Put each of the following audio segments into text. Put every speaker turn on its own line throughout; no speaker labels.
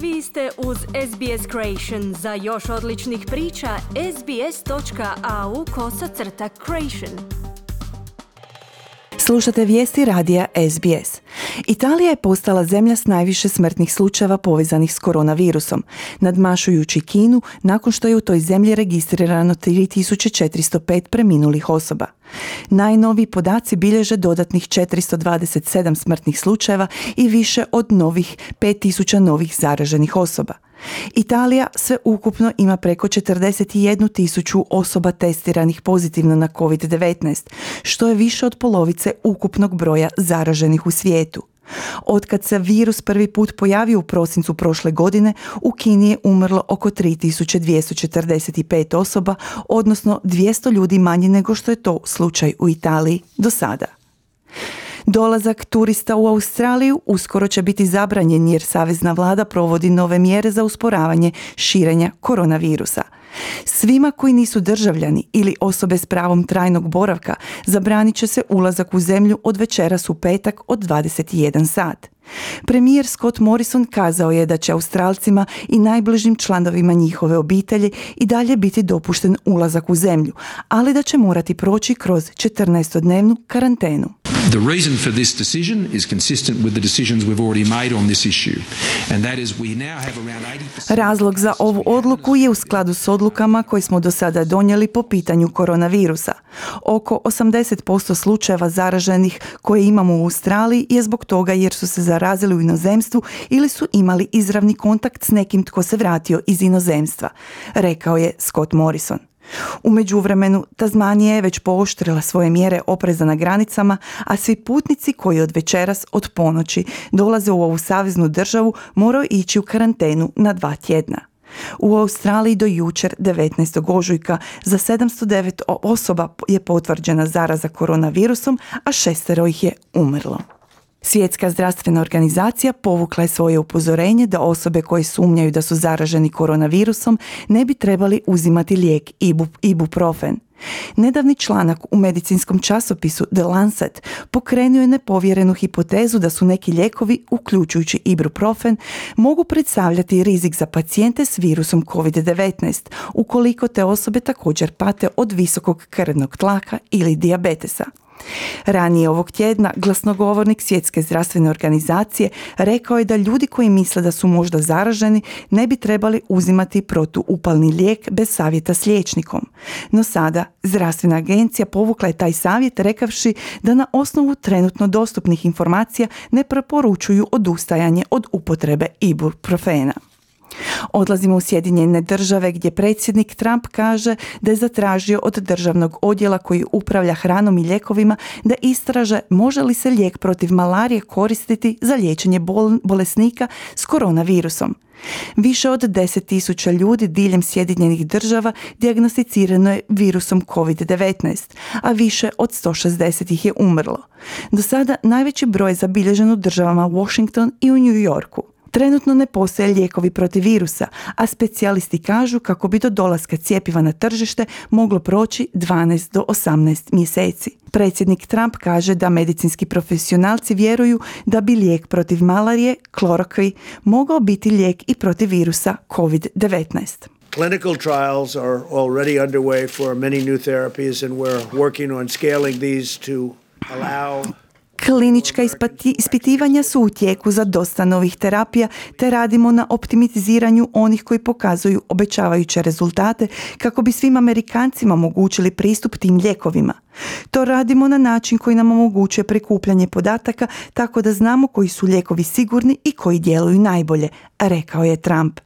Vi ste uz SBS Creation. Za još odličnih priča, sbs.au/creation.
Slušate vijesti radija SBS. Italija je postala zemlja s najviše smrtnih slučajeva povezanih s koronavirusom, nadmašujući Kinu nakon što je u toj zemlji registrirano 3405 preminulih osoba. Najnoviji podaci bilježe dodatnih 427 smrtnih slučajeva i više od 5000 novih zaraženih osoba. Italija sve ukupno ima preko 41.000 osoba testiranih pozitivno na COVID-19, što je više od polovice ukupnog broja zaraženih u svijetu. Otkad se virus prvi put pojavio u prosincu prošle godine, u Kini je umrlo oko 3245 osoba, odnosno 200 ljudi manje nego što je to slučaj u Italiji do sada. Dolazak turista u Australiju uskoro će biti zabranjen jer savezna vlada provodi nove mjere za usporavanje širenja koronavirusa. Svima koji nisu državljani ili osobe s pravom trajnog boravka zabranit će se ulazak u zemlju od večeras u petak od 21 sat. Premijer Scott Morrison kazao je da će Australcima i najbližim članovima njihove obitelji i dalje biti dopušten ulazak u zemlju, ali da će morati proći kroz 14-dnevnu karantenu.
The reason for this decision is consistent with the decisions we've already made on this issue, and that is we now have around 80%.
Razlog za ovu odluku je u skladu s odlukama koje smo do sada donijeli po pitanju koronavirusa. Oko 80% slučajeva zaraženih koje imamo u Australiji je zbog toga jer su se zarazili u inozemstvu ili su imali izravni kontakt s nekim tko se vratio iz inozemstva, rekao je Scott Morrison. U međuvremenu, Tasmanija je već pooštrila svoje mjere opreza na granicama, a svi putnici koji od večeras od ponoći dolaze u ovu saveznu državu moraju ići u karantenu na 2 tjedna. U Australiji do jučer 19. ožujka za 709 osoba je potvrđena zaraza koronavirusom, a 6 ih je umrlo. Svjetska zdravstvena organizacija povukla je svoje upozorenje da osobe koje sumnjaju da su zaraženi koronavirusom ne bi trebali uzimati lijek ibuprofen. Nedavni članak u medicinskom časopisu The Lancet pokrenuo je nepovjerenu hipotezu da su neki lijekovi, uključujući ibuprofen, mogu predstavljati rizik za pacijente s virusom COVID-19, ukoliko te osobe također pate od visokog krvnog tlaka ili dijabetesa. Ranije ovog tjedna glasnogovornik Svjetske zdravstvene organizacije rekao je da ljudi koji misle da su možda zaraženi ne bi trebali uzimati protuupalni lijek bez savjeta s liječnikom. No sada zdravstvena agencija povukla je taj savjet rekavši da na osnovu trenutno dostupnih informacija ne preporučuju odustajanje od upotrebe ibuprofena. Odlazimo u Sjedinjene Države gdje predsjednik Trump kaže da je zatražio od državnog odjela koji upravlja hranom i lijekovima da istraže može li se lijek protiv malarije koristiti za liječenje bolesnika s koronavirusom. Više od 10.000 ljudi diljem Sjedinjenih Država dijagnosticirano je virusom COVID-19, a više od 160 ih je umrlo. Do sada najveći broj je zabilježen u državama Washington i u New Yorku. Trenutno ne postoje lijekovi protiv virusa, a specijalisti kažu kako bi do dolaska cjepiva na tržište moglo proći 12 do 18 mjeseci. Predsjednik Trump kaže da medicinski profesionalci vjeruju da bi lijek protiv malarije, Chloroquine, mogao biti lijek i protiv virusa COVID-19.
Clinical trials are already underway for many new therapies and we're working on scaling these to allow.
Klinička ispitivanja su u tijeku za dosta novih terapija, te radimo na optimiziranju onih koji pokazuju obećavajuće rezultate kako bi svim Amerikancima omogućili pristup tim lijekovima. To radimo na način koji nam omogućuje prikupljanje podataka tako da znamo koji su lijekovi sigurni i koji djeluju najbolje, rekao je Trump.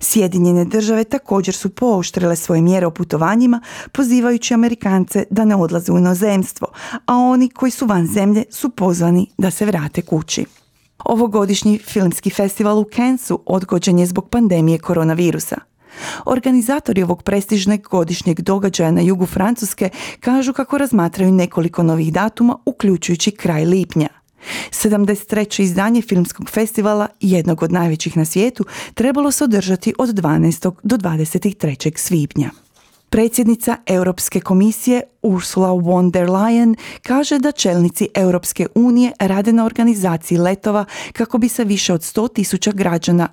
Sjedinjene Države također su pooštrile svoje mjere o putovanjima, pozivajući Amerikance da ne odlaze u inozemstvo, a oni koji su van zemlje su pozvani da se vrate kući. Ovogodišnji filmski festival u Cannesu odgođen je zbog pandemije koronavirusa. Organizatori ovog prestižnog godišnjeg događaja na jugu Francuske kažu kako razmatraju nekoliko novih datuma, uključujući kraj lipnja. 73. izdanje filmskog festivala, jednog od najvećih na svijetu, trebalo se održati od 12. do 23. svibnja. Predsjednica Europske komisije Ursula von der Leyen kaže da čelnici Europske unije rade na organizaciji letova kako bi se više od 100.000 građana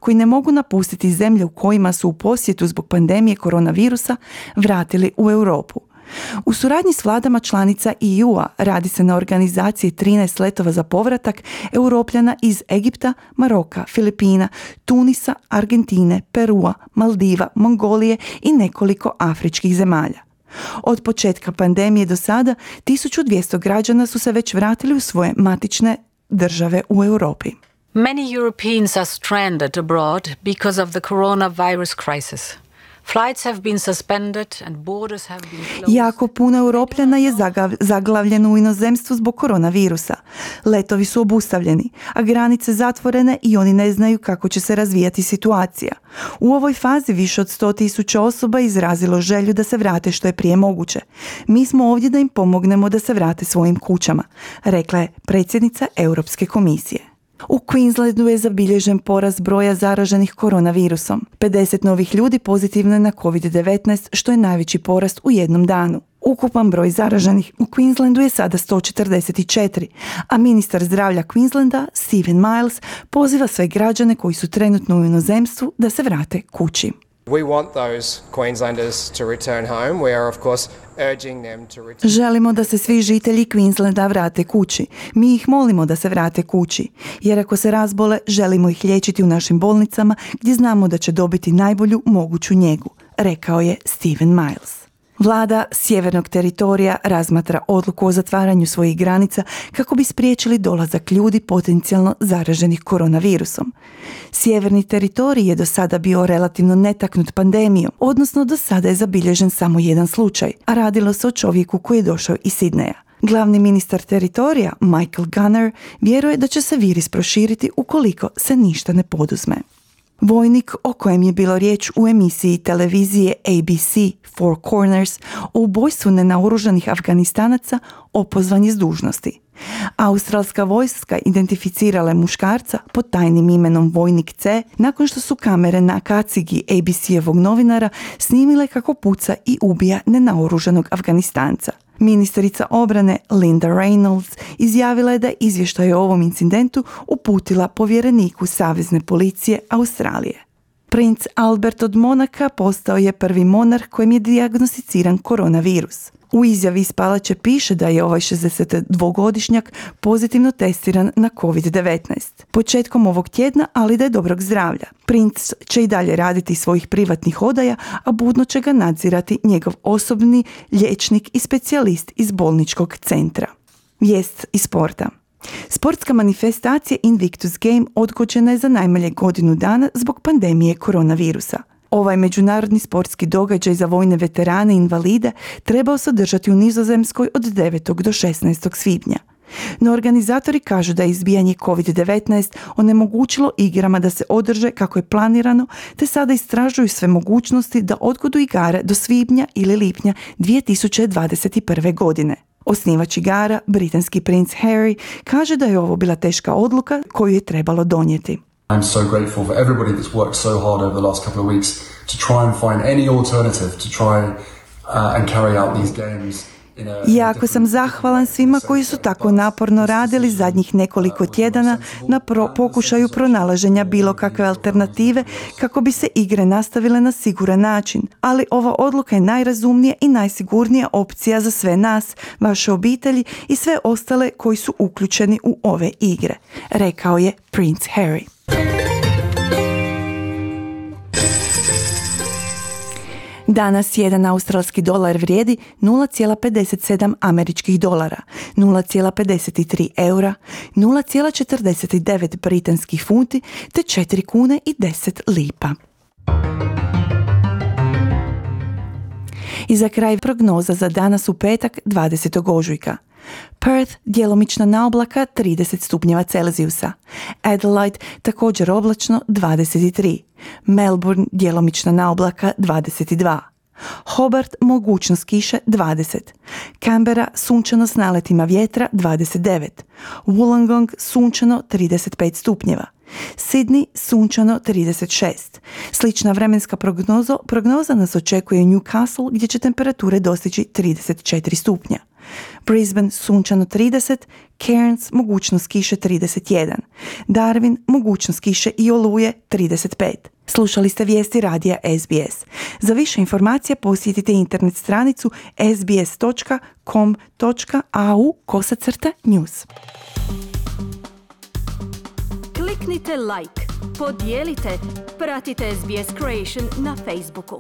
koji ne mogu napustiti zemlje u kojima su u posjetu zbog pandemije koronavirusa vratili u Europu. U suradnji s vladama članica EU-a radi se na organizaciji 13 letova za povratak Europljana iz Egipta, Maroka, Filipina, Tunisa, Argentine, Perua, Maldiva, Mongolije i nekoliko afričkih zemalja. Od početka pandemije do sada 1200 građana su se već vratili u svoje matične države u Europi.
Many Europeans are stranded abroad because of the coronavirus crisis. Flights have been suspended and borders have been closed.
Jako puno Europljana je zaglavljeno u inozemstvu zbog koronavirusa. Letovi su obustavljeni, a granice zatvorene i oni ne znaju kako će se razvijati situacija. U ovoj fazi više od 100.000 osoba izrazilo želju da se vrate što je prije moguće. Mi smo ovdje da im pomognemo da se vrate svojim kućama, rekla je predsjednica Europske komisije. U Queenslandu je zabilježen porast broja zaraženih koronavirusom. 50 novih ljudi pozitivno je na COVID-19, što je najveći porast u jednom danu. Ukupan broj zaraženih u Queenslandu je sada 144, a ministar zdravlja Queenslanda, Stephen Miles, poziva sve građane koji su trenutno u inozemstvu da se vrate kući.
We want those Queenslanders to return home. We are of course urging them to return.
Želimo da se svi žitelji Queenslanda vrate kući. Mi ih molimo da se vrate kući, jer ako se razbole, želimo ih liječiti u našim bolnicama gdje znamo da će dobiti najbolju moguću njegu, rekao je Stephen Miles. Vlada Sjevernog teritorija razmatra odluku o zatvaranju svojih granica kako bi spriječili dolazak ljudi potencijalno zaraženih koronavirusom. Sjeverni teritorij je do sada bio relativno netaknut pandemijom, odnosno do sada je zabilježen samo jedan slučaj, a radilo se o čovjeku koji je došao iz Sidneja. Glavni ministar teritorija, Michael Gunner, vjeruje da će se virus proširiti ukoliko se ništa ne poduzme. Vojnik o kojem je bilo riječ u emisiji televizije ABC Four Corners o ubojstvu nenaoružanih Afganistanaca opozvan je s dužnosti. Australska vojska identificirala je muškarca pod tajnim imenom Vojnik C nakon što su kamere na kacigi ABC-evog novinara snimile kako puca i ubija nenaoružanog Afganistanca. Ministrica obrane Linda Reynolds izjavila je da je izvještaj o ovom incidentu uputila povjereniku Savezne policije Australije. Princ Albert od Monaka postao je prvi monarh kojem je dijagnosticiran koronavirus. U izjavi iz palače piše da je ovaj 62-godišnjak pozitivno testiran na COVID-19. Početkom ovog tjedna, ali da je dobrog zdravlja. Princ će i dalje raditi svojih privatnih odaja, a budno će ga nadzirati njegov osobni liječnik i specijalist iz bolničkog centra. Vijest iz sporta. Sportska manifestacija Invictus Game odgođena je za najmanje godinu dana zbog pandemije koronavirusa. Ovaj međunarodni sportski događaj za vojne veterane i invalide trebao se održati u Nizozemskoj od 9. do 16. svibnja. No organizatori kažu da je izbijanje COVID-19 onemogućilo igrama da se održe kako je planirano, te sada istražuju sve mogućnosti da odgodu igara do svibnja ili lipnja 2021. godine. Osnivač igara, britanski princ Harry, kaže da je ovo bila teška odluka koju je trebalo donijeti.
I'm so grateful for everybody that's worked so hard over the last couple of weeks to try and find any alternative to try and carry out these games.
Jako sam zahvalan svima koji su tako naporno radili zadnjih nekoliko tjedana na pokušaju pronalaženja bilo kakve alternative kako bi se igre nastavile na siguran način. Ali ova odluka je najrazumnija i najsigurnija opcija za sve nas, vaše obitelji i sve ostale koji su uključeni u ove igre, rekao je princ Harry. Danas jedan australski dolar vrijedi 0,57 američkih dolara, 0,53 eura, 0,49 britanskih funti te 4 kune i 10 lipa. I za kraj prognoza za danas u petak 20. ožujka. Perth djelomična naoblaka 30 stupnjeva Celzijusa. Adelaide također oblačno 23. Melbourne djelomična naoblaka 22. Hobart mogućnost kiše 20. Canberra sunčano s naletima vjetra 29. Wollongong sunčano 35 stupnjeva. Sydney sunčano 36. Slična vremenska prognoza nas očekuje u Newcastle gdje će temperature dostići 34 stupnja. Brisbane sunčano 30, Cairns mogućnost kiše 31, Darwin mogućnost kiše i oluje 35. Slušali ste vijesti radija SBS. Za više informacija posjetite internet stranicu sbs.com.au/news.
Kliknite like, podijelite, pratite SBS Creation na Facebooku.